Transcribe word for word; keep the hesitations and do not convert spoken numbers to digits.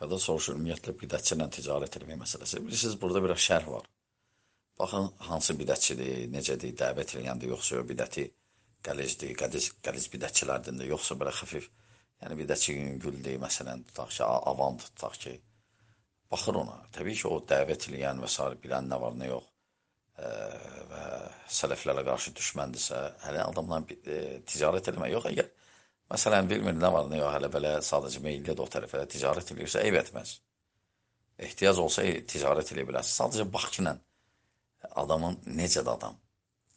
Fəqət soruşur, ümumiyyətlə bidətçi ilə ticarət etmək məsələsi. Bilirsiniz, burada biraz şərh var. Baxın, hansı bidətçidir, necədir, dəvət eləyəndir, yoxsa o bidəti qəlizdir, qəliz, qəliz bidətçilərdir, yoxsa belə xəfif. Yəni bidətçi yüngüldür, məsələn, tutaq ki, avam tutaq ki, baxır ona. Təbii ki, o dəvət eləyən və s. bilən nə var, nə yox e, və sələflərə qarşı düşməndirsə, hələ adamla e, ticarət eləmək yox. Əgər, məsələn, bilmir nə var, nə yox, hələ belə sadəcə meyillidir o tərəfə ticarət eləyirsə, eyb etməz. Ehtiyac olsa ticarət eləyə bilərsən. Sadəcə bax ki, adamın necədir adam.